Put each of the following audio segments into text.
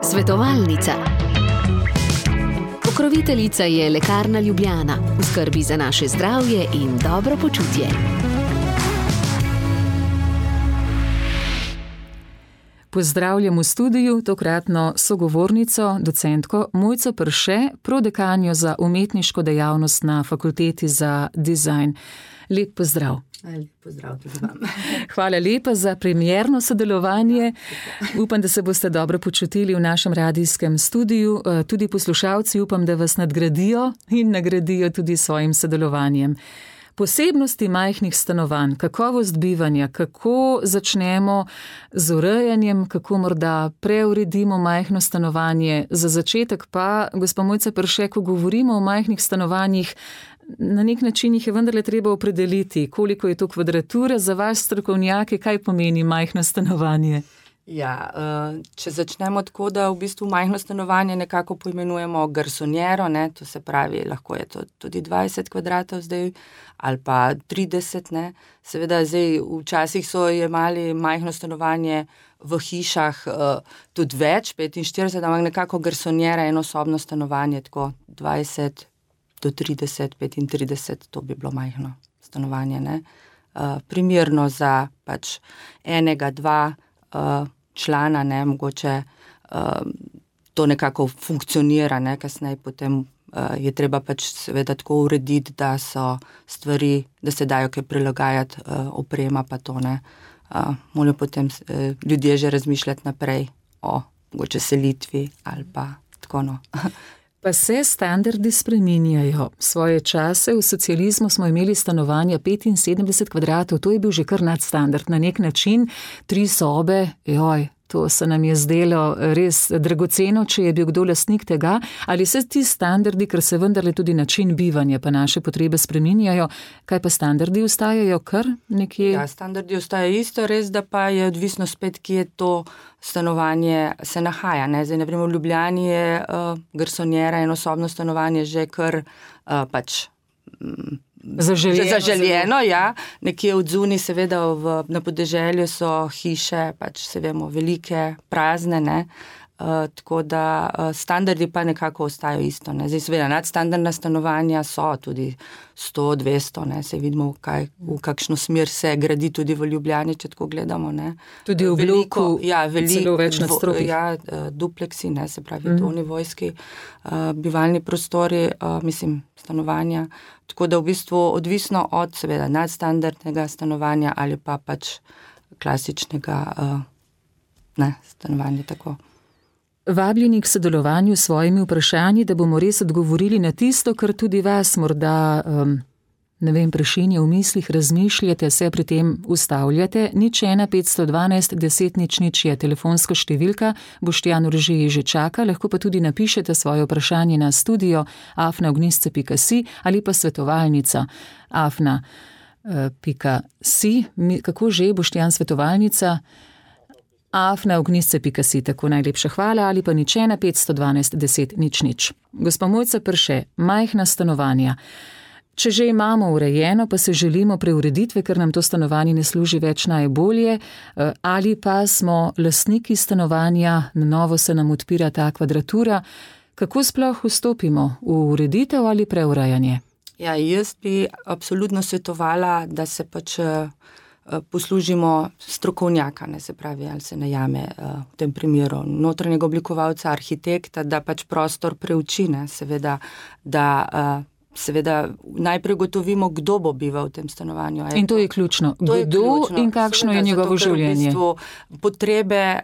Svetovalnica. Pokroviteljica je Lekarna Ljubljana, v skrbi za naše zdravje in dobro počutje. Pozdravljam v studiu tokratno sogovornico, docentko Mojco Perše, prodekanjo za umetniško dejavnost na Fakulteti za dizajn. Lep pozdrav. Lep pozdrav tudi vam. Hvala lepa za premierno sodelovanje. Upam, da se boste dobro počutili v našem radijskem studiu. Tudi poslušalci upam, da vas nadgradijo in nagradijo tudi svojim sodelovanjem. Posebnosti majhnih stanovanj, kakovost bivanja, kako začnemo z urejanjem, kako morda preuredimo majhno stanovanje. Za začetek pa, gospa Mojca Perše, ko govorimo o majhnih stanovanjih, na nek način jih je vendarle treba opredeliti, koliko je to kvadrature za vas strokovnjake, kaj pomeni majhno stanovanje. Ja, če začnemo tako, da v bistvu majhno stanovanje nekako poimenujemo garsonjero, to se pravi, lahko je to tudi 20 kvadratov zdaj, ali pa 30, Seveda zdaj včasih so jemali majhno stanovanje v hišah tudi več, 45, ampak nekako garsonjera, enosobno stanovanje, tako 20 do 30, 35, to bi bilo majhno stanovanje, Primerno za pač enega, dva člana, mogoče to nekako funkcionira, kasneje potem je treba pač seveda tako urediti, da so stvari, da se dajo kaj prilagajati, oprema pa to, morajo potem ljudje že razmišljati naprej o mogoče selitvi ali pa tako, Pa se standardi spreminjajo. Svoje čase v socializmu smo imeli stanovanja 75 kvadratov, to je bil že kar nadstandard. Na nek način 3 sobe, to se nam je zdelo res dragoceno, če je bil kdo lastnik tega. Ali se ti standardi, ker se vendarle tudi način bivanja pa naše potrebe spreminjajo, kaj pa standardi ostajajo kar nekje? Ja, standardi ostajajo isto, res da pa je odvisno spet, kje to stanovanje se nahaja. Zdaj, na primer, v Ljubljani je garsonjera, enosobno stanovanje že kar pač zaželjeno, ja. Nekje odzuni, seveda na podeželju so hiše, pač se vemo, velike, prazne, tako da standardi pa nekako ostajajo isto, Zdaj, seveda, nadstandardna stanovanja so tudi 100, 200, se vidimo, v kakšno smer se gradi tudi v Ljubljani, če tako gledamo, Tudi v bloku, celo več nadstropij. Ja, dupleksi, se pravi, dvonivojski bivalni prostori, stanovanja. Tako da v bistvu odvisno od, seveda, nadstandardnega stanovanja ali pa pač klasičnega stanovanja, tako. Vabljeni k sodelovanju s svojimi vprašanji, da bomo res odgovorili na tisto, kar tudi vas morda, prešinja v mislih, razmišljate, se pri tem ustavljate. 01 512 10 00 je telefonska številka, Boštjan Urže že čaka, lahko pa tudi napišete svoje vprašanje na studio@ognjisce.si ali pa svetovalnica @si. Kako že, Boštjan, svetovalnica? @ognjisce.si, tako najlepša hvala, ali pa 01 512 10 00. Gospa Mojca Perše, majhna stanovanja. Če že imamo urejeno, pa se želimo preureditve, ker nam to stanovanje ne služi več najbolje, ali pa smo lastniki stanovanja, na novo se nam odpira ta kvadratura, kako sploh vstopimo v ureditev ali preurejanje? Ja, jaz bi absolutno svetovala, da se pač poslužimo strokovnjaka, se pravi, ali se najame v tem primeru notranjega oblikovalca, arhitekta, da pač prostor preuči, seveda, da najprej gotovimo, kdo bo bival v tem stanovanju. In to je ključno. Kdo in kakšno je njegovo življenje? Potrebe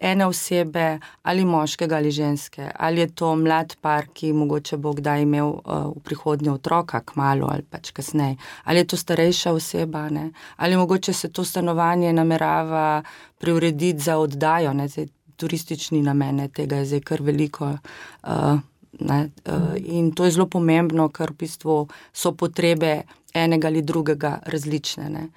ene osebe, ali moškega ali ženske, ali je to mlad par, ki mogoče bo kdaj imel v prihodnje otroka, kmalu ali pač kasneje, ali je to starejša oseba, ali mogoče se to stanovanje namerava preurediti za oddajo, zdaj, turistični namen, tega je zdaj kar veliko. In to je zelo pomembno, ker v bistvu so potrebe enega ali drugega različne.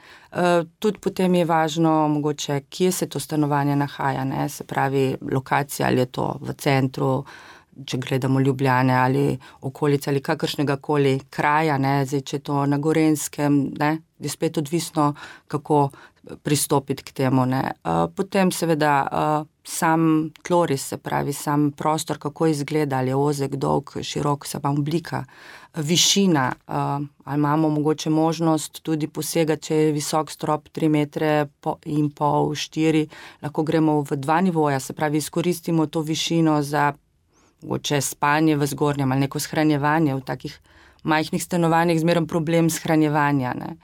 Tudi potem je važno mogoče, kje se to stanovanje nahaja, se pravi lokacija, ali je to v centru, če gledamo Ljubljane ali okolice ali kakršnega koli kraja, zdaj, če je to na Gorenjskem, je spet odvisno, kako pristopiti k temu, ne. Potem seveda sam tloris, se pravi sam prostor, kako izgleda, ali je ozek, dolg, širok, se pa oblika, višina, ali imamo mogoče možnost tudi posegati, če je visok strop 3,5 metre, 4, lahko gremo v 2 nivoja, se pravi izkoristimo to višino za mogoče spanje v zgornjem ali neko shranjevanje v takih majhnih stanovanjih, zmeraj problem shranjevanja, ne.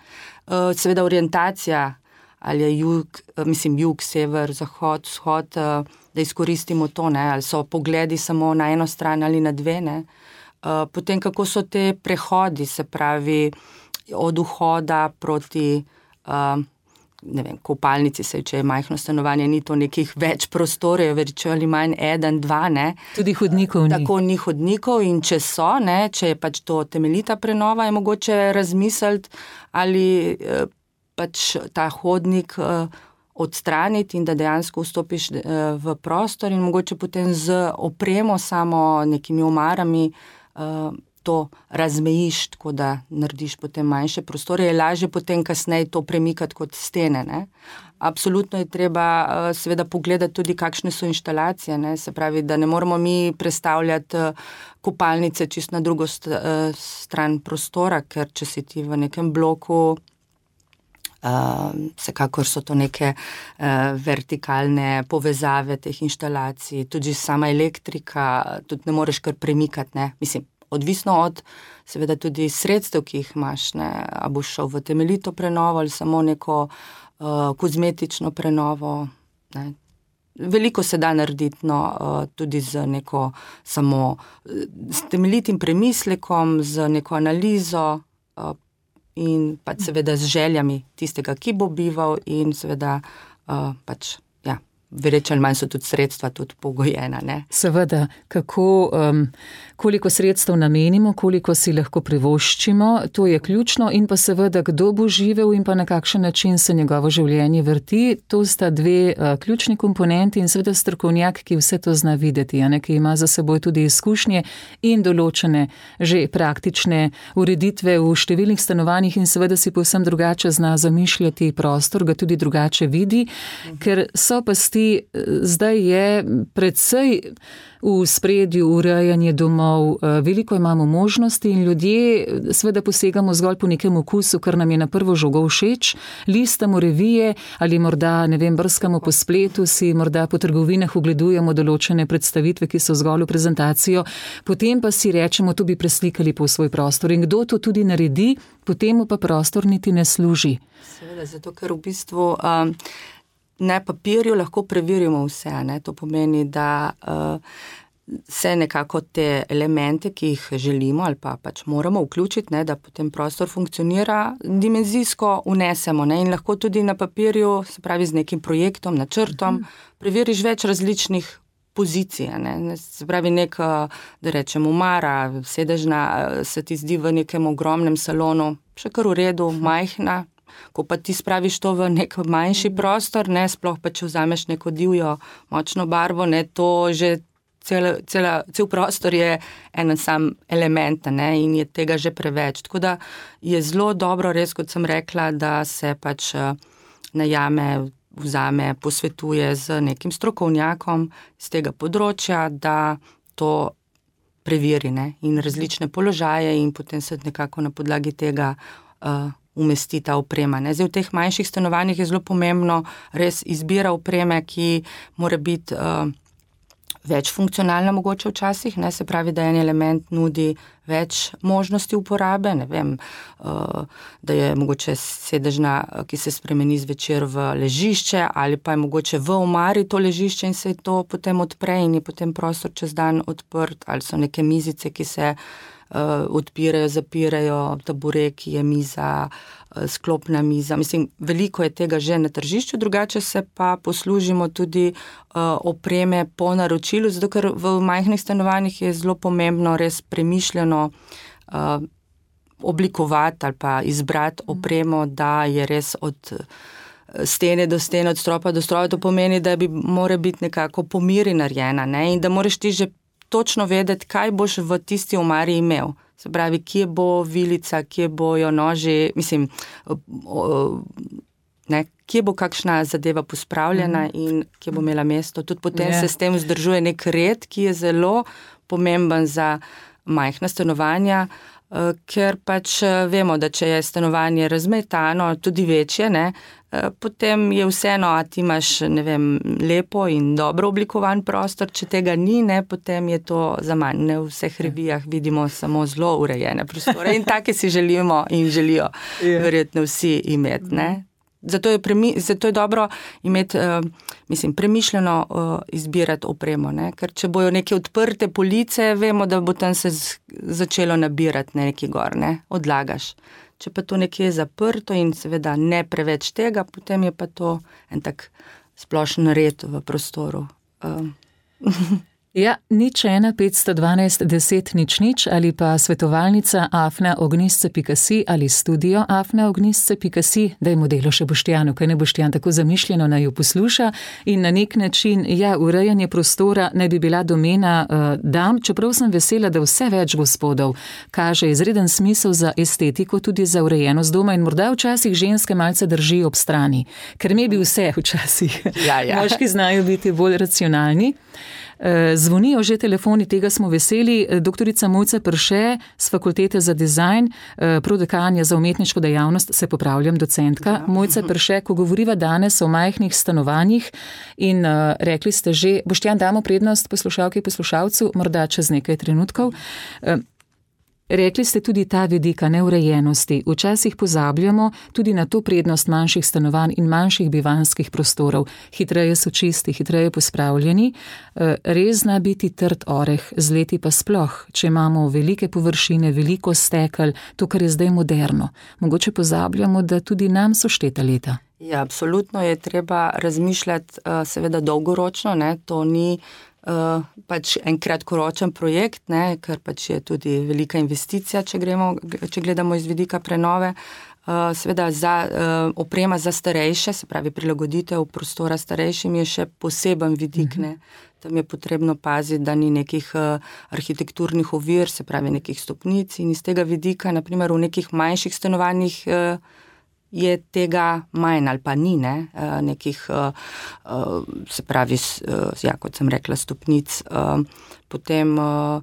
Seveda orientacija, ali je jug, sever, zahod, vzhod, da izkoristimo to, ne, ali so pogledi samo na eno stran ali na dve, ne. Potem, kako so te prehodi, se pravi, od vhoda proti, ne vem, kopalnici, če je majhno stanovanje, ni to nekih več prostorov, več ali manj 1, 2, ne. Tudi hodnikov ni. Tako ni hodnikov in če so, ne, če je pač to temeljita prenova, je mogoče razmisliti, ali pač ta hodnik odstraniti in da dejansko vstopiš v prostor in mogoče potem z opremo, samo nekimi omarami, to razmejiš, tako da narediš potem manjše prostore, je lažje potem kasneje to premikati kot stene, ne. Absolutno je treba seveda pogledati tudi, kakšne so inštalacije, ne, se pravi, da ne moramo mi prestavljati kopalnice čisto na drugo stran prostora, ker če si ti v nekem bloku, vsekakor so to neke vertikalne povezave teh inštalacij, tudi sama elektrika, tudi ne moreš kar premikati, ne, mislim, odvisno od seveda tudi sredstev, ki jih imaš, ne, a boš šel v temeljito prenovo ali samo neko kozmetično prenovo, ne. Veliko se da narediti, no, tudi z neko samo s temeljitim premislekom, z neko analizo in pač seveda z željami tistega, ki bo bival in seveda pač, ja, več ali manj so tudi sredstva tudi pogojena, ne. Seveda, koliko sredstev namenimo, koliko si lahko privoščimo, to je ključno in pa seveda, kdo bo živel in pa na kakšen način se njegovo življenje vrti, to sta dve ključni komponenti in seveda strokovnjak, ki vse to zna videti, a ne, ki ima za seboj tudi izkušnje in določene že praktične ureditve v številnih stanovanjih in seveda si povsem drugače zna zamišljati prostor, ga tudi drugače vidi, ker so pasti. Zdaj je precej v spredju urejanje domov, veliko imamo možnosti in ljudje seveda posegamo zgolj po nekem okusu, kar nam je na prvo žogo všeč, listamo revije ali morda, ne vem, brskamo po spletu, si morda po trgovinah ogledujemo določene predstavitve, ki so zgolj v prezentacijo, potem pa si rečemo, to bi preslikali po svoj prostor in kdo to tudi naredi, potem pa prostor niti ne služi. Seveda, zato ker v bistvu na papirju lahko preverimo vse, ne? To pomeni, da se nekako te elemente, ki jih želimo ali pa pač moramo vključiti, ne, da potem prostor funkcionira, dimenzijsko vnesemo, ne, in lahko tudi na papirju, se pravi z nekim projektom, načrtom, preveriš več različnih pozicij, ne, se pravi da rečem omara, sedežna, se ti zdi v nekem ogromnem salonu, še kar v redu, majhna, ko pa ti spraviš to v nek manjši prostor, ne, sploh pa če vzameš neko divjo, močno barvo, ne, to že cel prostor je en sam element, ne, in je tega že preveč. Tako da je zelo dobro, res, kot sem rekla, da se pač najame, vzame, posvetuje z nekim strokovnjakom z tega področja, da to preveri, ne, in različne položaje in potem se nekako na podlagi tega umesti ta oprema, ne. Zdaj v teh manjših stanovanjih je zelo pomembno res izbira opreme, ki mora biti več funkcionalna mogoče včasih, ne, se pravi, da en element nudi več možnosti uporabe, ne vem, da je mogoče sedežna, ki se spremeni zvečer v ležišče ali pa je mogoče v omari to ležišče in se to potem odpre in je potem prostor čez dan odprt, ali so neke mizice, ki se odpirajo, zapirajo, tabureki, je miza, sklopna miza. Mislim, veliko je tega že na tržišču, drugače se pa poslužimo tudi opreme po naročilu, zato ker v majhnih stanovanjih je zelo pomembno res premišljeno oblikovati ali pa izbrati opremo, da je res od stene do stene, od stropa do stropa, to pomeni, da mora biti nekako po meri narejena, ne, in da moraš ti že točno vedeti, kaj boš v tisti omari imel. Se pravi, kje bo vilica, kje bojo noži, mislim, ne, kje bo kakšna zadeva pospravljena in kje bo imela mesto. Tudi potem se s tem vzdržuje nek red, ki je zelo pomemben za majhna stanovanja, ker pač vemo, da če je stanovanje razmetano, tudi večje, ne, potem je vseeno, a ti imaš, ne vem, lepo in dobro oblikovan prostor, če tega ni, ne, potem je to za manj. Ne, v vseh revijah vidimo samo zelo urejene prostore in take si želimo in želijo verjetno vsi imeti, ne. Zato je dobro imeti, premišljeno izbirati opremo, ne? Ker če bojo neke odprte police, vemo, da bo tam se začelo nabirati nekaj gor, ne? Odlagaš. Če pa to nekje je zaprto in seveda ne preveč tega, potem je pa to en tak splošen red v prostoru. Ja, 0 512 10 00 ali pa svetovalnica afna-ognisce.si ali studio afna-ognisce.si, dajmo delo še Boštjanu, kaj ne Boštjan tako zamišljeno naj jo posluša in na nek način, urejanje prostora naj bi bila domena dam, čeprav sem vesela, da vse več gospodov kaže izreden smisel za estetiko, tudi za urejenost doma in morda včasih ženske malce drži ob strani, ker mi bi vse včasih. Moški znajo biti bolj racionalni. Zvonijo že telefoni, tega smo veseli. Doktorica Mojca Perše z Fakultete za dizajn, prodekanja za umetniško dejavnost, se popravljam, docentka. Mojca Perše, ko govoriva danes o majhnih stanovanjih in rekli ste že, Boštjan, damo prednost poslušalki, poslušalcu, morda čez nekaj trenutkov. Rekli ste tudi ta vidika neurejenosti. Včasih pozabljamo tudi na to prednost manjših stanovanj in manjših bivanjskih prostorov. Hitreje so čisti, hitreje pospravljeni. Res zna biti trd oreh, z leti pa sploh, če imamo velike površine, veliko stekel, to, kar je zdaj moderno. Mogoče pozabljamo, da tudi nam so šteta leta. Ja, absolutno je treba razmišljati seveda dolgoročno, ne, to ni pač en kratkoročen projekt, ne, ker pač je tudi velika investicija, če gledamo iz vidika prenove. Seveda oprema za starejše, se pravi prilagoditev prostora starejšim je še poseben vidik, ne. Tam je potrebno paziti, da ni nekih arhitekturnih ovir, se pravi nekih stopnic in iz tega vidika, naprimer v nekih manjših stanovanjih je tega manj ali pa ni, ne, nekih, se pravi, kot sem rekla, stopnic, potem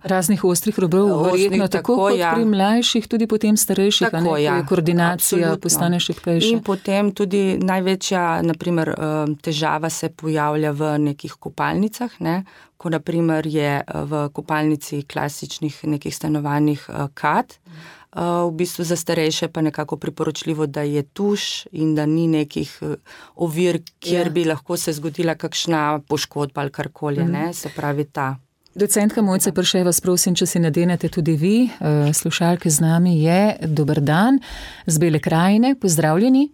raznih ostrih robov, verjetno tako kot pri mlajših, tudi potem starejših, tako, koordinacija postane šibkejša. In potem tudi največja, naprimer, težava se pojavlja v nekih kopalnicah, ne, ko naprimer je v kopalnici klasičnih nekih stanovanjih kat, v bistvu za starejše pa nekako priporočljivo, da je tuš in da ni nekih ovir, kjer bi lahko se zgodila kakšna poškodba ali karkoli, ne, se pravi ta. Docentka Mojca Perše, vas prosim, če si nadenete tudi vi, slušalke z nami je, dober dan, z Bele krajine, pozdravljeni.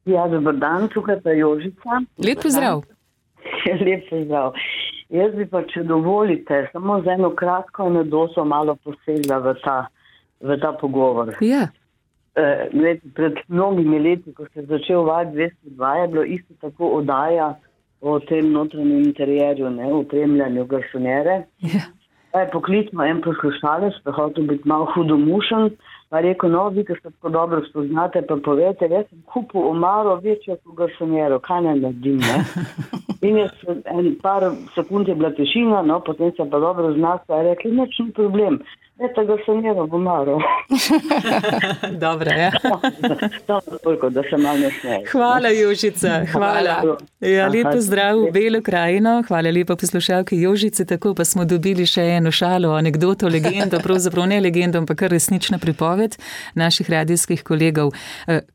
Ja, dober dan, tukaj pa Jožica. Lep pozdrav. Lep pozdrav. Jaz bi pa, če dovolite, samo za eno kratko anekdoto malo posegla v ta pogovor. Ja. Pred mnogimi leti, ko se je začel val 202, je bilo isto tako oddaja o tem notranjem interjerju, ne, opremljanju garsonjere. Ja. Poklicno en poslušalec, pa hotel biti malo hudomušen, pa rekel, no, vi, ki ste tako dobro spoznate, pa povete, jaz sem kupil omaro večjo kot garsonjero, kaj naj naredim, ne? In je en par sekund je bila tišina, no, potem se pa dobro znala, je rekli, nič ni problem. Eto ga sem jeva v omaro. Dobro, ja. Toliko, da se malo ne smeje. Hvala, Jožica, hvala. Ja, lepo zdrav v Belo krajino, hvala lepa poslušalki Jožice, tako pa smo dobili še eno šalo, anekdoto, legendo, pravzaprav ne legendo, ampak kar resnična pripoved naših radijskih kolegov.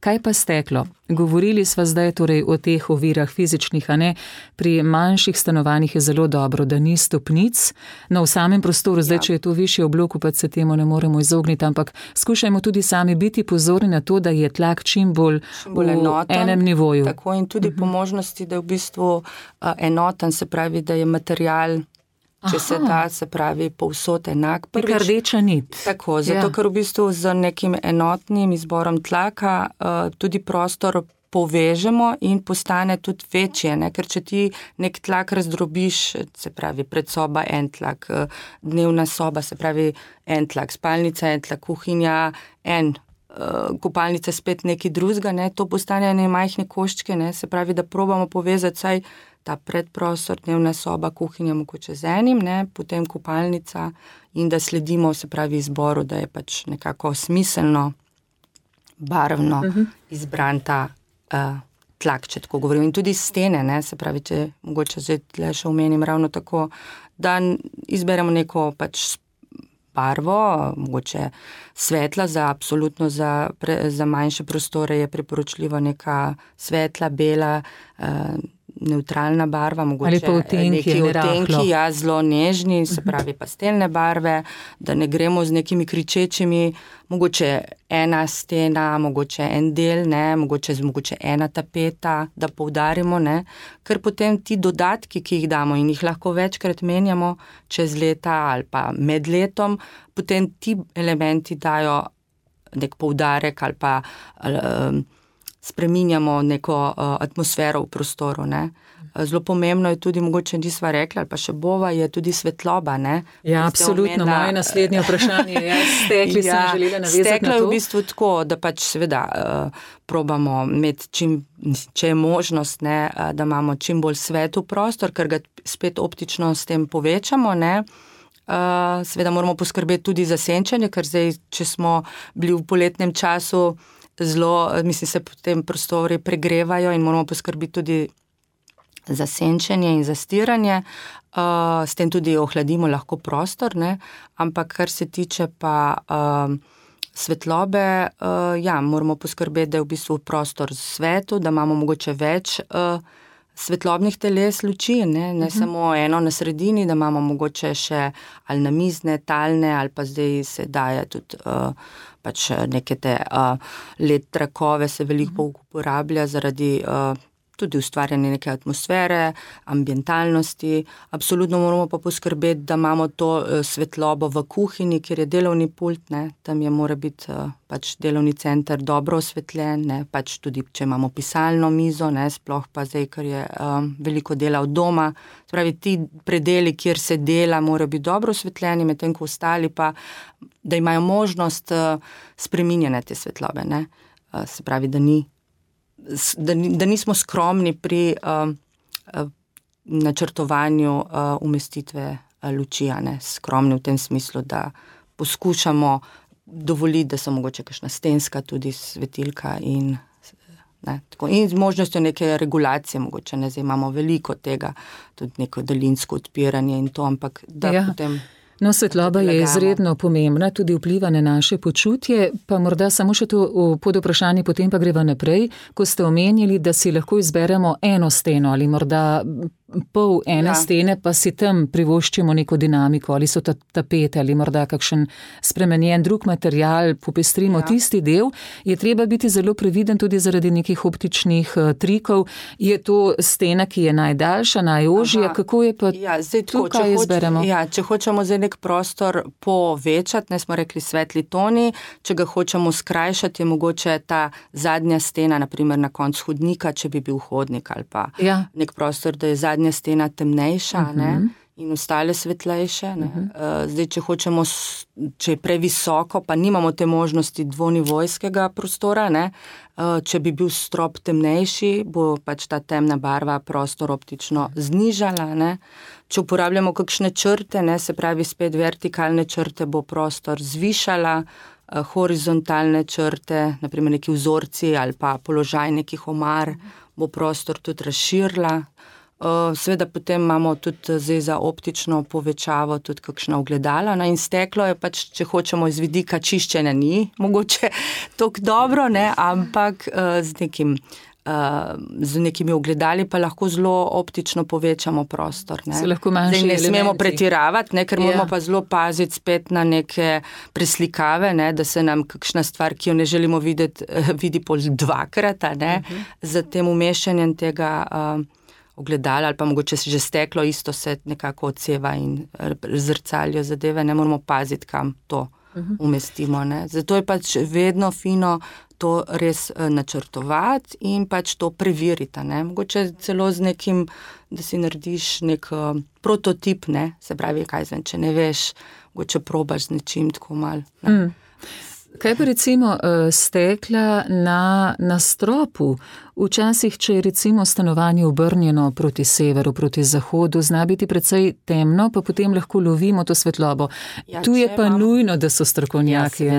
Kaj pa steklo? Govorili sva zdaj torej o teh ovirah fizičnih, a ne? Pri manjših stanovanjih je zelo dobro, da ni stopnic, no v samem prostoru, zdaj, če je to višje v bloku, pa se temu ne moremo izogniti, ampak skušajmo tudi sami biti pozorni na to, da je tlak čim bolj enoten, enem nivoju. Tako in tudi po možnosti, da je v bistvu enoten, se pravi, da je material, če se da, se pravi, povsod enak. Neka rdeča nit. Tako, zato ker v bistvu z nekim enotnim izborom tlaka tudi prostor povežemo in postane tudi večje, ne? Ker če ti nek tlak razdrobiš, se pravi predsoba en tlak, dnevna soba, se pravi en tlak, spalnica en tlak, kuhinja en kopalnica spet nekaj drugega, ne, to postane ene majhne koščke, ne, se pravi, da probamo povezati saj ta predprostor, dnevna soba, kuhinja mogoče z enim, ne, potem kopalnica in da sledimo, se pravi, izboru, da je pač nekako smiselno, barvno izbran ta tlak, če tako govorim. In tudi stene, ne, se pravi, če mogoče zdaj tle še omenim ravno tako, da izberemo neko pač barvo, mogoče svetla, absolutno za manjše prostore je priporočljivo neka svetla, bela, neutralna barva, mogoče neki odtenki, ja, zelo nežni, se pravi pastelne barve, da ne gremo z nekimi kričečimi, mogoče ena stena, mogoče en del, ne, mogoče ena tapeta, da poudarimo, ne, ker potem ti dodatki, ki jih damo in jih lahko večkrat menjamo čez leta ali pa med letom, potem ti elementi dajo nek poudarek ali pa spreminjamo neko atmosfero v prostoru, ne. Zelo pomembno je tudi, mogoče nisva rekla, ali pa še bova, je tudi svetloba, ne. Ja, absolutno, moje naslednje vprašanje je, stekli sem želela navezati na to. Steklo je v bistvu tako, da pač seveda probamo imeti če je možnost, ne, da imamo čim bolj svetel prostor, ker ga spet optično s tem povečamo, ne. Seveda moramo poskrbeti tudi za senčenje, ker zdaj, če smo bili v poletnem času, se potem prostori pregrevajo in moramo poskrbeti tudi za senčenje in za stiranje, s tem tudi ohladimo lahko prostor, ne, ampak kar se tiče pa svetlobe, ja, moramo poskrbeti, da je v bistvu prostor svetel, da imamo mogoče več svetlobnih teles luči, ne samo eno na sredini, da imamo mogoče še ali namizne, talne, ali pa zdaj se daje tudi pač neke te LED trakove se veliko uporablja zaradi tudi ustvarjanje neke atmosfere, ambientalnosti. Absolutno moramo pa poskrbeti, da imamo to svetlobo v kuhinji, kjer je delovni pult, ne, tam mora biti pač delovni center dobro osvetljen, ne, pač tudi, če imamo pisalno mizo, ne, sploh pa zdaj, ker je veliko dela od doma. Spravi, ti predeli, kjer se dela, morajo biti dobro osvetljeni, medtem ko ostali pa, da imajo možnost spreminjanja te svetlobe, ne. Se pravi, da nismo skromni pri načrtovanju umestitve luči, ne, skromni v tem smislu, da poskušamo dovoliti, da so mogoče kakšna stenska tudi svetilka in z možnostjo neke regulacije, mogoče ne, zdaj imamo veliko tega, tudi neko daljinsko odpiranje in to, ampak da potem... No, svetloba je izredno pomembna, tudi vpliva na naše počutje, pa morda samo še to pod vprašanje, potem pa greva naprej, ko ste omenili, da si lahko izberemo eno steno ali morda pol ene stene, pa si tam privoščimo neko dinamiko, ali so tapete ali morda kakšen spremenjen drug material, popestrimo tisti del, je treba biti zelo previden tudi zaradi nekih optičnih trikov. Je to stena, ki je najdaljša, najožja, kako je pa tukaj izberemo? Ja, če hočemo zdaj nek prostor povečati, ne smo rekli svetli toni, če ga hočemo skrajšati, je mogoče ta zadnja stena, naprimer na koncu hodnika, če bi bil hodnik ali pa nek prostor, da je zadnja stena temnejša, ne, in ostale svetlejše, ne. Zdaj, če je previsoko, pa nimamo te možnosti dvonivojskega prostora, ne, če bi bil strop temnejši, bo pač ta temna barva prostor optično znižala, ne. Če uporabljamo kakšne črte, ne, se pravi spet vertikalne črte, bo prostor zvišala, horizontalne črte, naprimer neki vzorci ali pa položaj nekih omar, bo prostor tudi razširila. Seveda potem imamo tudi zdaj za optično povečavo tudi kakšna ogledala, no, in steklo je pač, če hočemo iz vidika čiščenja ni mogoče toliko dobro, ne, ampak z nekimi ogledali pa lahko zelo optično povečamo prostor, ne. Se lahko manjši elementi. Zdaj ne smemo pretiravati, ne, ker moramo pa zelo paziti spet na neke preslikave, ne, da se nam kakšna stvar, ki jo ne želimo videti, vidi pol dvakrat, ne, z tem umeščanjem tega ogledala ali pa mogoče že steklo, isto se nekako odseva in zrcalijo zadeve, ne moramo paziti, kam to umestimo, ne. Zato je pač vedno fino to res načrtovati in pač to preveriti, ne. Mogoče celo z nekim, da si narediš nek prototip, ne, se pravi, kaj zvem, če ne veš, mogoče probaš z nečim tako malo. Kaj pa recimo stekla na stropu? Včasih, če je recimo stanovanje obrnjeno proti severu, proti zahodu, zna biti precej temno, pa potem lahko lovimo to svetlobo. Tu je pa nujno, da so strokovnjaki.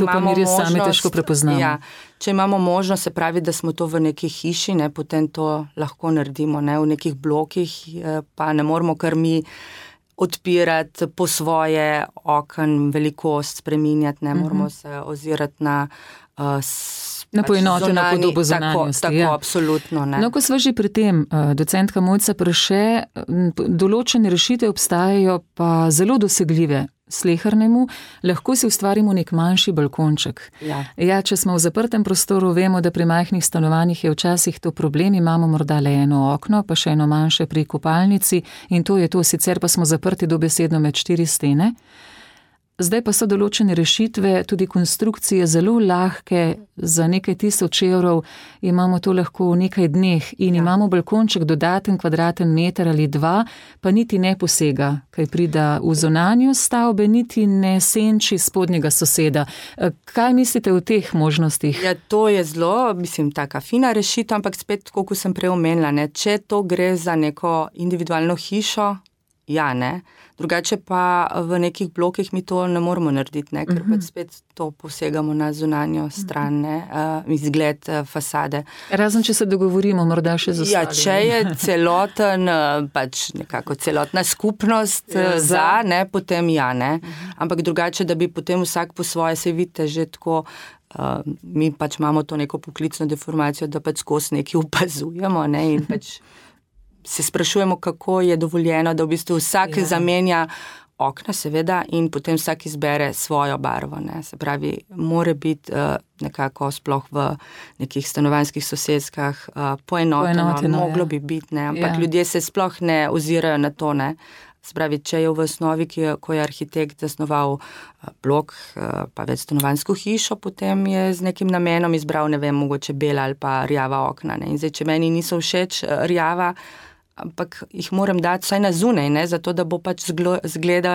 To pa mi res sami težko prepoznamo. Ja, če imamo možnost, se pravi, da smo to v neki hiši, potem to lahko naredimo. V nekih blokih pa ne moramo kar mi odpirati po svoje okn, velikost spreminjati, ne moramo se ozirati na poenoteno podobo zunanjosti. Tako, absolutno. Ne. No, ko sva že pri tem, docentka Mojca Prše, določene rešitve obstajajo pa zelo dosegljive slehernemu, lahko si ustvarimo nek manjši balkonček. Ja, če smo v zaprtem prostoru, vemo, da pri majhnih stanovanjih je včasih to problem, imamo morda le eno okno, pa še eno manjše pri kopalnici in to je to, sicer pa smo zaprti dobesedno med 4 stene. Zdaj pa so določene rešitve, tudi konstrukcije zelo lahke, za nekaj 1000 evrov imamo to lahko v nekaj dneh in imamo balkonček dodaten kvadraten meter ali 2, pa niti ne posega, kaj prida v zunanjo stavbe, niti ne senči spodnjega soseda. Kaj mislite o teh možnostih? Ja, to je zelo, taka fina rešitev, ampak spet, kot sem prej omenila, če to gre za neko individualno hišo, ja, ne. Drugače pa v nekih blokih mi to ne moramo narediti, ker pač spet to posegamo na zunanjo stran, izgled fasade. Razen, če se dogovorimo, morda še z ostalim. Ja, če je celoten, pač nekako celotna skupnost potem ja, ne. Ampak drugače, da bi potem vsak po svoje, se vidite že tako, mi pač imamo to neko poklicno deformacijo, da pač skozi nekaj opazujemo, in pač se sprašujemo, kako je dovoljeno, da v bistvu vsak zamenja okna, seveda, in potem vsak izbere svojo barvo. Se pravi, mora biti nekako sploh v nekih stanovanjskih sosedskah poenoteno, moglo bi biti, ampak ljudje se sploh ne ozirajo na to. Se pravi, če je v osnovi, ko je arhitekt zasnoval blok, pa večstanovanjsko hišo, potem je z nekim namenom izbral, mogoče bela ali pa rjava okna. In zdaj, če meni niso všeč rjava, ampak jih moram dati vsaj na zunaj, zato da bo pač izgled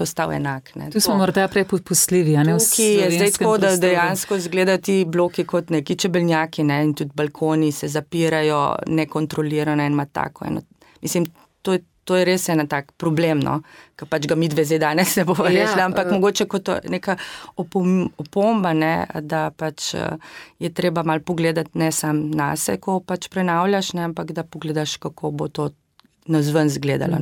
ostal enak. Tu smo morda prepopustljivi, Tukaj je zdaj tako, da dejansko izgledajo ti bloki kot neki čebeljaki, in tudi balkoni se zapirajo nekontrolirano in ima tako. To je res en tak problem, ker pač ga mi dve zdaj danes ne bomo rešili, ampak mogoče kot neka opomba, da pač je treba malo pogledati ne sam nase, ko pač prenavljaš, ampak da pogledaš, kako bo to nazven zgledalo.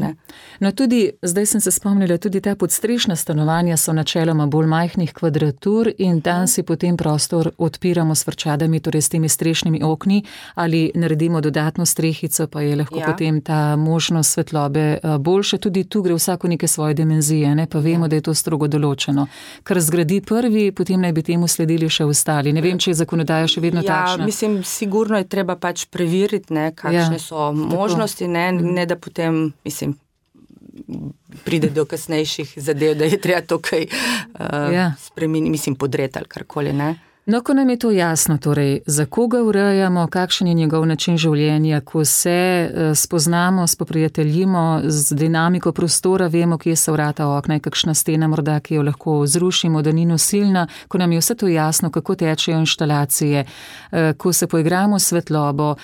No tudi, zdaj sem se spomnila, tudi ta podstrešna stanovanja so načeloma bolj majhnih kvadratur in tam si potem prostor odpiramo s frčadami, torej s temi strešnimi okni, ali naredimo dodatno strehico, pa je lahko potem ta možnost svetlobe boljša. Tudi tu gre vsako neke svoje dimenzije, pa vemo, da je to strogo določeno. Kar zgradi prvi, potem naj bi temu sledili še ostali. Ne vem, če je zakonodaja še vedno takšna. Sigurno je treba pač preveriti, kakšne so možnosti, ne da potem, pride do kasnejših zadev, da je treba to kaj spremeniti, podreti ali karkoli, No, ko nam je to jasno, torej, za koga urejamo, kakšen je njegov način življenja, ko se spoznamo, spoprijateljimo z dinamiko prostora, vemo, kje so vrata, okna, je kakšna stena morda, ki jo lahko zrušimo, da ni nosilna, ko nam je vse to jasno, kako tečejo inštalacije, ko se poigramo s svetlobo,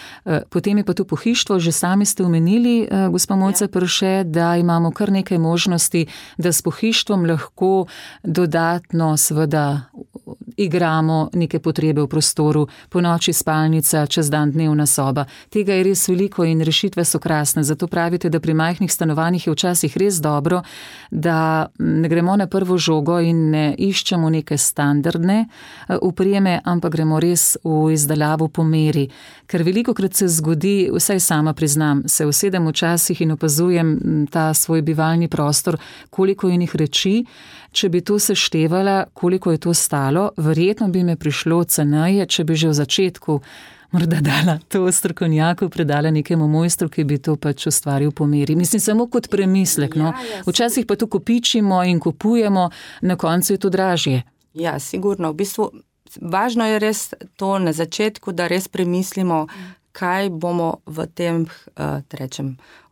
potem je pa tu pohištvo, že sami ste omenili, gospa Mojca Prše, da imamo kar nekaj možnosti, da s pohištvom lahko dodatno seveda igramo neke potrebe v prostoru, po noči spalnica, čez dan dnevna soba. Tega je res veliko in rešitve so krasne, zato pravite, da pri majhnih stanovanjih je včasih res dobro, da ne gremo na prvo žogo in ne iščemo neke standardne opreme, ampak gremo res v izdelavo po meri. Ker velikokrat se zgodi, vsaj sama priznam, se usedem včasih in opazujem ta svoj bivalni prostor, koliko je njih reči. Če bi to seštevala, koliko je to stalo, verjetno bi me prišlo ceneje, če bi že v začetku morda dala to strokovnjaku, predala nekemu mojstru, ki bi to pač ustvaril po meri. Mislim, samo kot premislek. Včasih pa to kopičimo in kupujemo, na koncu je to dražje. Ja, sigurno. V bistvu, važno je res to na začetku, da res premislimo, kaj bomo v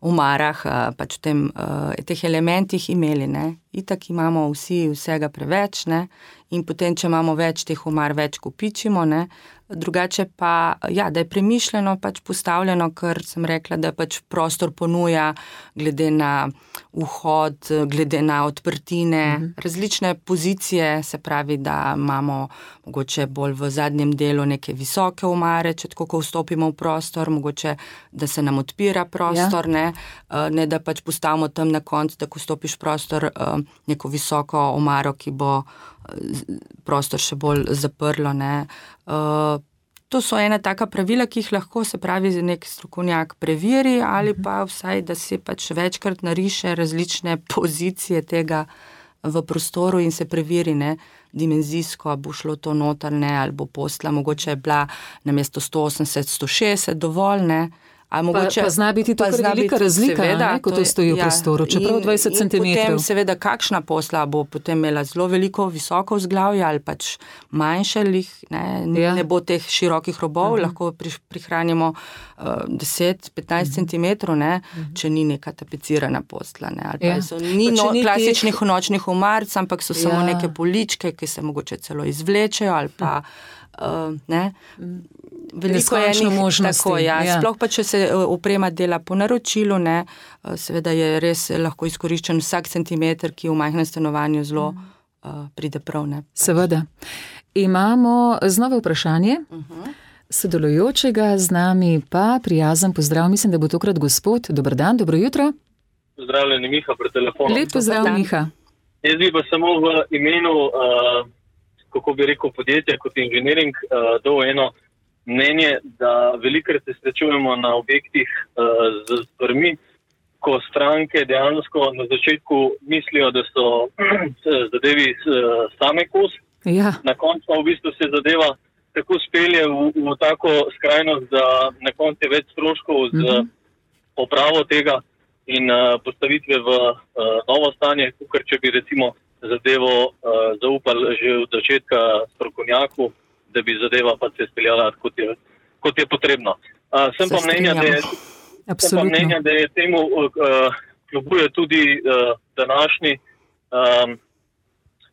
omarah, pač v teh elementih imeli. itak imamo vsi vsega preveč, ne, in potem, če imamo več teh omar, več kopičimo, ne. Drugače pa, ja, da je premišljeno pač postavljeno, ker sem rekla, da pač prostor ponuja glede na vhod, glede na odprtine, različne pozicije, se pravi, da imamo mogoče bolj v zadnjem delu neke visoke omare, če tako, ko vstopimo v prostor, mogoče, da se nam odpira prostor, ne da pač postavimo tam na koncu, da ko vstopiš v prostor, neko visoko omaro, ki bo prostor še bolj zaprlo, ne. To so ena taka pravila, ki jih lahko, se pravi, nek strokovnjak preveri ali pa vsaj, da si pač večkrat nariše različne pozicije tega v prostoru in se preveri, ne, dimenzijsko, bo šlo to noter, ne, ali bo posla, mogoče je bila namesto 180, 160 dovolj, ne. Mogoče, pa zna biti to velika razlika, seveda, ne, ko to stoji v prostoru, čeprav 20 cm. In potem seveda, kakšna posla bo potem imela zelo veliko visoko vzglavje ali pač manjše, ne bo teh širokih robov, lahko prihranimo 10-15 cm, ne, če ni neka tapecirana posla, ne, ali pa ni klasičnih nočnih omarc, ampak so samo neke poličke, ki se mogoče celo izvlečejo ali pa ne. Veliko je enih možnosti. Tako, sploh pa, če se oprema dela po naročilu, ne, seveda je res lahko izkoriščen vsak centimeter, ki v majhnem stanovanju zelo pride prav, ne. Seveda. Imamo znova vprašanje sodelujočega, z nami pa prijazen pozdrav, mislim, da bo tokrat gospod. Dober dan, dobro jutro. Pozdravljeni, Miha pri telefonu. Lep pozdrav, Miha. Jaz bi pa samo v imenu, kako bi rekel, podjetja kot inženiring, dal eno mnenje, da velikrat se srečujemo na objektih z stvarmi, ko stranke dejansko na začetku mislijo, da so zadevi same kos. Ja. Na koncu pa v bistvu se zadeva tako spelje v tako skrajnost, da na koncu je več stroškov z popravo tega in postavitve v novo stanje, ker če bi recimo zadevo zaupali že od začetka strokovnjaku, da bi zadeva pa se speljala kot je potrebno. Sem pa mnenja, da je temu kljubuje tudi današnji,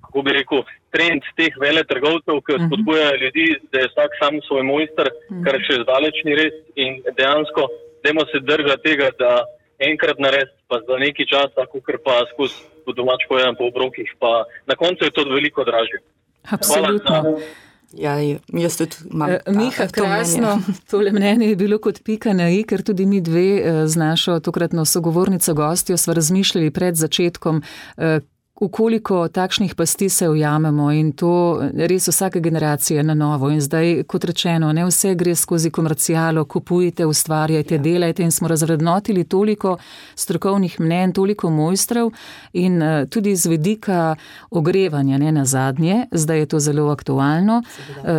kako bi rekel, trend teh veletrgovcev, ki spodbujajo ljudi, da je vsak sam svoj mojster, kar še zdaleč ni res in dejansko dajmo se držati tega, da enkrat narediti, pa za nekaj časa, kakor pa skozi po domač povedano po obrokih, pa na koncu je to veliko dražje. Absolutno. Ja, jaz tudi imam Miha, krasno, tole mnenje je bilo kot pika na i, ker tudi mi dve z našo tokratno sogovornico gostjo sva razmišljali pred začetkom, v koliko takšnih pasti se ujamemo in to res vsake generacije na novo. In zdaj, kot rečeno, ne vse gre skozi komercialo, kupujte, ustvarjajte, delajte in smo razvrednotili toliko strokovnih mnenj, toliko mojstrov in tudi z vidika ogrevanja, ne nazadnje, zdaj je to zelo aktualno,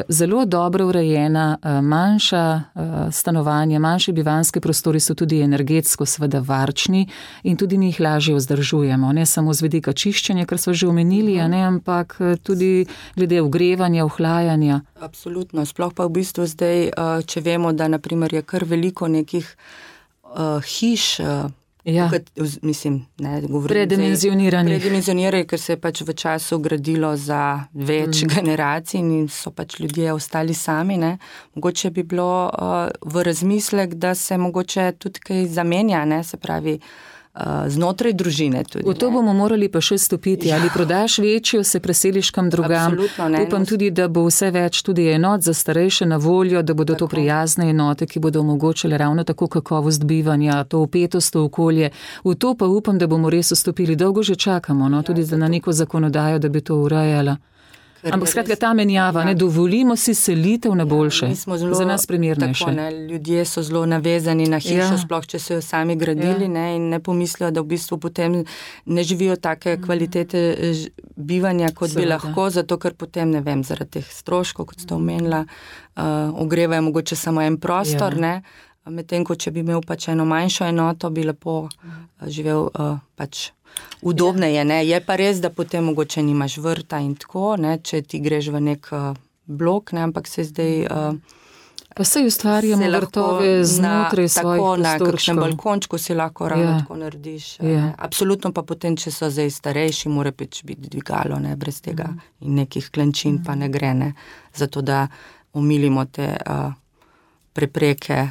zelo dobro urejena, manjša stanovanja, manjši bivanski prostori so tudi energetsko seveda varčni in tudi mi jih lažje vzdržujemo, ne samo z vidika čiščenja, kar smo že omenili, ne, ampak tudi glede ogrevanja, ohlajanja. Absolutno, sploh pa v bistvu zdaj, če vemo, da naprimer je kar veliko nekih hiš, mislim, ne, govorim predimenzionirajo, ker se je pač v času gradilo za več generacij in so pač ljudje ostali sami, ne. Mogoče bi bilo v razmislek, da se mogoče tudi kaj zamenja, ne, se pravi, znotraj družine tudi. V to bomo morali pa še stopiti, ali prodaš večjo, se preseliš kam drugam. Upam tudi, da bo vse več tudi enot za starejše na voljo, da bodo to prijazne enote, ki bodo omogočile ravno tako kakovost bivanja, to vpetost v okolje. V to pa upam, da bomo res vstopili. Dolgo že čakamo, no, tudi na neko zakonodajo, da bi to urejala. Ampak skratka ta menjava, ne dovolimo si selitev na boljše, za nas primernejše. Tako, ne, ljudje so zelo navezani na hišo, sploh če so jo sami gradili, ne, in ne pomislijo, da v bistvu potem ne živijo take kvalitete bivanja, kot bi lahko, zato ker potem, ne vem, zaradi teh stroškov, kot ste omenila, ogrevajo mogoče samo en prostor, ne, medtem ko če bi imel pač eno manjšo enoto, bi lepo živel pač udobneje, ne. Je pa res, da potem mogoče nimaš vrta in tako, ne, če ti greš v nek blok, ne, ampak se zdaj Pa saj ustvarjamo vrtove znotraj svojih prostorčkov. Tako na kakšnem balkončku si lahko ravno tako narediš. Absolutno pa potem, če so zdaj starejši, mora biti dvigalo, ne, brez tega in nekih klančin pa ne gre, ne, zato da omilimo te prepreke.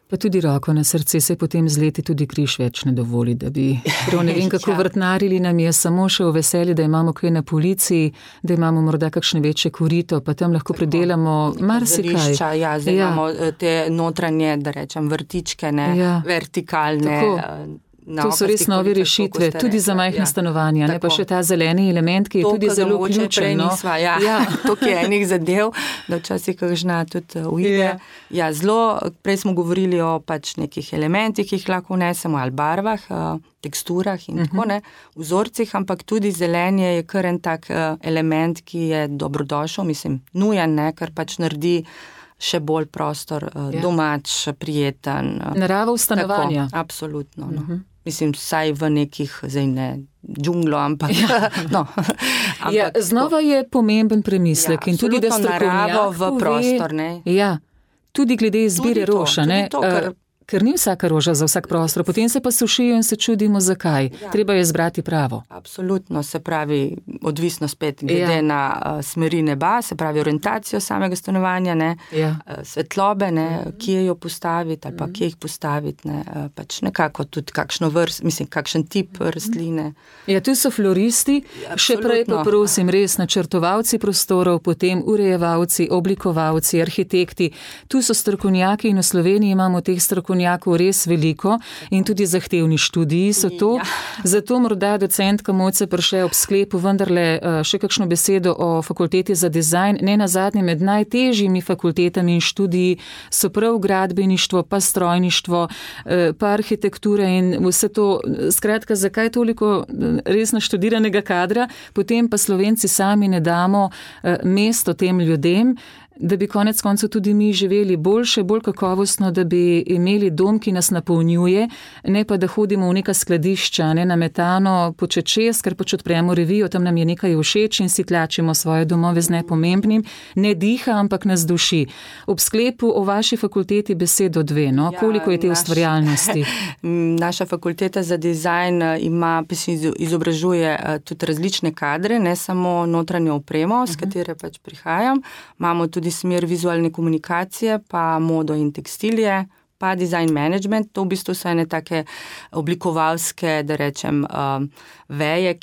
Pa tudi roko na srce se potem z leti tudi križ več ne dovoli, da bi prav ne vem kako vrtnarili nam je samo še v veselje, da imamo kaj na polici, da imamo morda kakšne večje korito, pa tam lahko pridelamo marsikaj. Zdaj imamo te notranje, da rečem, vrtičke, ne, vertikalne. To so res nove rešitve, tudi za majhna stanovanja, ne, pa še ta zeleni element, ki je tudi zelo ključen. Tukaj je enih zadev, da včasih kakšna tudi uide. Prej smo govorili o pač nekih elementih, ki jih lahko vnesemo, ali barvah, teksturah in tako, ne, vzorcih, ampak tudi zelenje je kar en tak element, ki je dobrodošel, mislim, nujen, ne, ker pač naredi še bolj prostor domač, prijeten. Narava v stanovanja. Tako, absolutno, no. Mislim, vsaj v nekih, zdaj ne džunglo, ampak no. Znova je pomemben premislek in tudi, da naravo v prostor, ne. Tudi glede izbire roša, ne. Ker ni vsaka roža za vsak prostor, potem se pa sušijo in se čudimo, zakaj. Treba je izbrati pravo. Absolutno, se pravi, odvisno spet glede na smeri neba, se pravi orientacijo samega stanovanja, ne, svetlobe, ne, kje jo postaviti ali pa kje jih postaviti, ne, pač nekako tudi kakšno kakšen tip rastline. Tu so floristi, še prej pa prosim, res načrtovalci prostorov, potem urejevalci, oblikovalci, arhitekti. Tu so strokovnjaki in v Sloveniji imamo teh strokovnjakov res veliko in tudi zahtevni študiji so to. Zato morda docentka Mojca Perše ob sklepu vendarle še kakšno besedo o fakulteti za dizajn. Ne nazadnje med najtežjimi fakultetami in študiji so prav gradbeništvo, pa strojništvo, pa arhitektura in vse to. Skratka, zakaj toliko res naštudiranega kadra, potem pa Slovenci sami ne damo mesto tem ljudem, da bi konec koncev tudi mi živeli boljše, bolj kakovostno, da bi imeli dom, ki nas napolnjuje, ne pa da hodimo v neka skladišča, ne nametano počečes, ker pač odpremo revijo, tam nam je nekaj všeč in si tlačimo svoje domove z nepomembnim, ne diha, ampak nas duši. Ob sklepu o vaši fakulteti besedo dve, no? Koliko je te ustvarjalnosti? Naša fakulteta za dizajn izobražuje tudi različne kadre, ne samo notranjo opremo, s katere pač prihajam. Imamo tudi smer vizualne komunikacije, pa modo in tekstilije, pa design management. To v bistvu so ene take oblikovalske, da rečem, veje,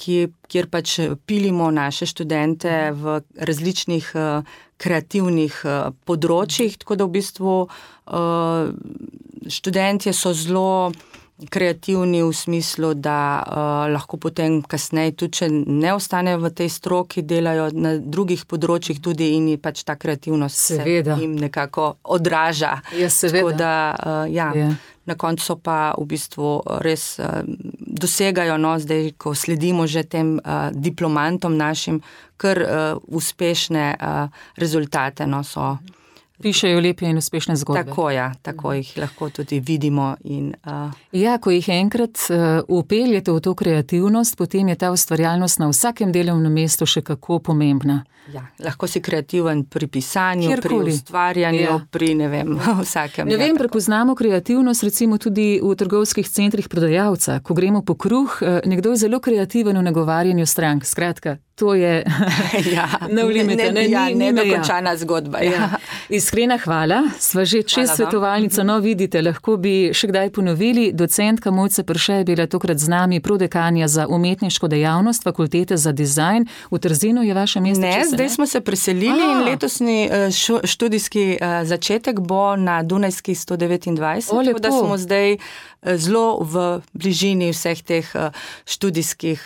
kjer pač pilimo naše študente v različnih kreativnih področjih, tako da v bistvu študentje so zelo kreativni v smislu, da lahko potem kasneje, tudi če ne ostanejo v tej stroki, delajo na drugih področjih tudi in pač ta kreativnost se jim nekako odraža. Tako da, na koncu pa v bistvu res dosegajo, no, zdaj, ko sledimo že tem diplomantom našim, kar uspešne rezultate, no, so. Pišejo lepe in uspešne zgodbe. Tako jih lahko tudi vidimo. Ko jih enkrat upeljete v to kreativnost, potem je ta ustvarjalnost na vsakem delovnem mestu še kako pomembna. Lahko si kreativen pri pisanju, pri ustvarjanju, pri vsakem. Prepoznamo kreativnost recimo tudi v trgovskih centrih prodajalca. Ko gremo po kruh, nekdo je zelo kreativen v nagovarjanju strank. Skratka, to je no limite, nedokončana zgodba. Iskrena hvala, sva že čez svetovalnico, no vidite, lahko bi še kdaj ponovili. Docentka Mojca Perše je bila tokrat z nami, prodekanja za umetniško dejavnost Fakultete za dizajn. V Trzinu je vaše mesto? Ne, zdaj smo se preselili in letosni študijski začetek bo na Dunajski 129, tako da smo zdaj zelo v bližini vseh teh študijskih.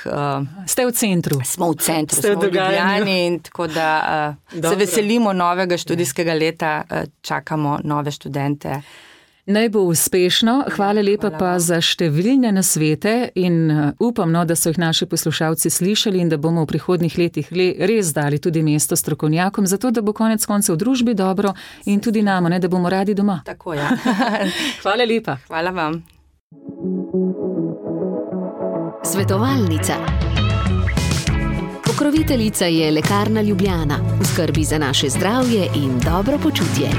Ste v centru? Smo v centru, smo v Ljubljani in tako da se veselimo novega študijskega leta, čakamo nove študente. Naj bo uspešno, hvala lepa pa za številne nasvete in upam, no, da so jih naši poslušalci slišali in da bomo v prihodnjih letih res dali tudi mesto strokovnjakom, zato da bo konec koncev v družbi dobro in tudi nam, ne, da bomo radi doma. Tako, Hvala lepa. Hvala vam. Svetovalnica. Ko Pokroviteljica je Lekarna Ljubljana, v skrbi za naše zdravje in dobro počutje.